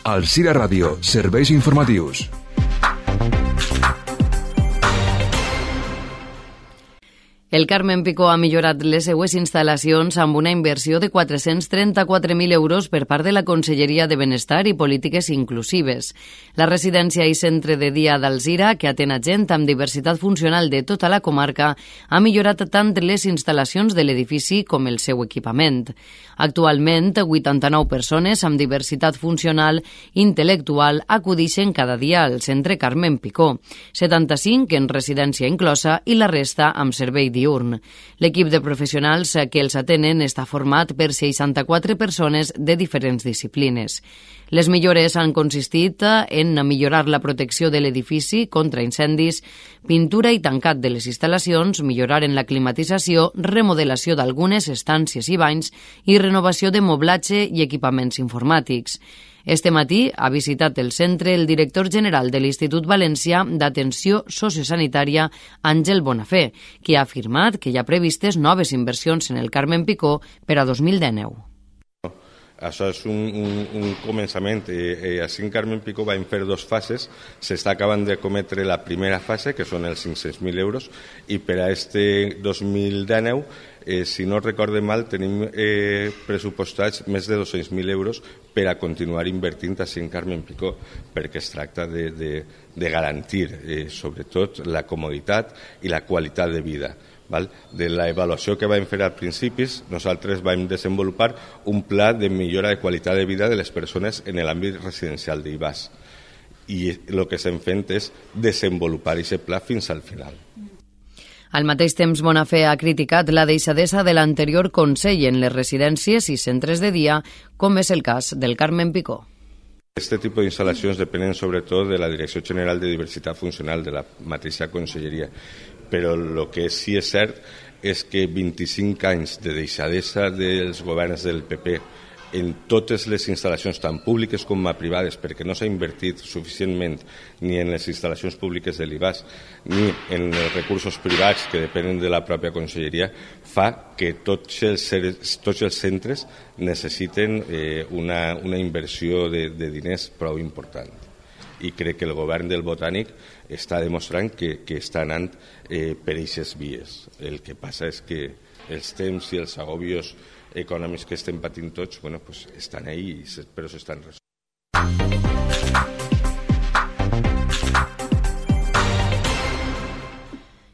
Alzira Ràdio, serveis informatius. El Carmen Picó ha millorat les seues instal·lacions amb una inversió de 434.000 euros per part de la Conselleria de Benestar i Polítiques Inclusives. La residència i centre de dia d'Alzira, que atén a gent amb diversitat funcional de tota la comarca, ha millorat tant les instal·lacions de l'edifici com el seu equipament. Actualment, 89 persones amb diversitat funcional i intel·lectual acudixen cada dia al centre Carmen Picó, 75 en residència inclosa i la resta amb servei diurn. L'equip de professionals que els atenen està format per 64 persones de diferents disciplines. Les millores han consistit en millorar la protecció de l'edifici contra incendis, pintura i tancat de les instal·lacions, millorar en la climatització, remodelació d'algunes estàncies i banys i renovació de moblatge i equipaments informàtics. Este matí ha visitat el centre el director general de l'Institut Valencià d'Atenció Sociosanitària, Àngel Bonafé, que ha afirmat que hi ha previstes noves inversions en el Carmen Picó per a 2019. Això és un començament. Així en Carmen Picó vam fer dues fases. S'està acabant de cometre la primera fase, que són els 500.000 euros, i per a este 2019, si no recorde mal, tenim pressupostats més de 200.000 euros per a continuar invertint així en Carmen Picó, perquè es tracta de garantir, sobretot, la comoditat i la qualitat de vida. De l'avaluació que vam fer al principi, nosaltres vam desenvolupar un pla de millora de qualitat de vida de les persones en l'àmbit residencial d'Ivars. I el que estem fent és desenvolupar aquest pla fins al final. Al mateix temps, Bonafé ha criticat la deixadesa de l'anterior Consell en les residències i centres de dia, com és el cas del Carmen Picó. Este tipus d'instal·lacions depenen sobretot de la Direcció General de Diversitat Funcional de la mateixa Conselleria, però el que sí és cert és que 25 anys de deixadesa dels governs del PP en totes les instal·lacions, tant públiques com privades, perquè no s'ha invertit suficientment ni en les instal·lacions públiques de l'IVAS ni en els recursos privats que depenen de la pròpia Conselleria, fa que tots els centres necessiten una inversió de diners prou important. I crec que el govern del Botànic està demostrant que està anant per aquestes vies. El que passa és que els temps i els agobios econòmics que estem patint tots estan ahí, però s'estan resolent.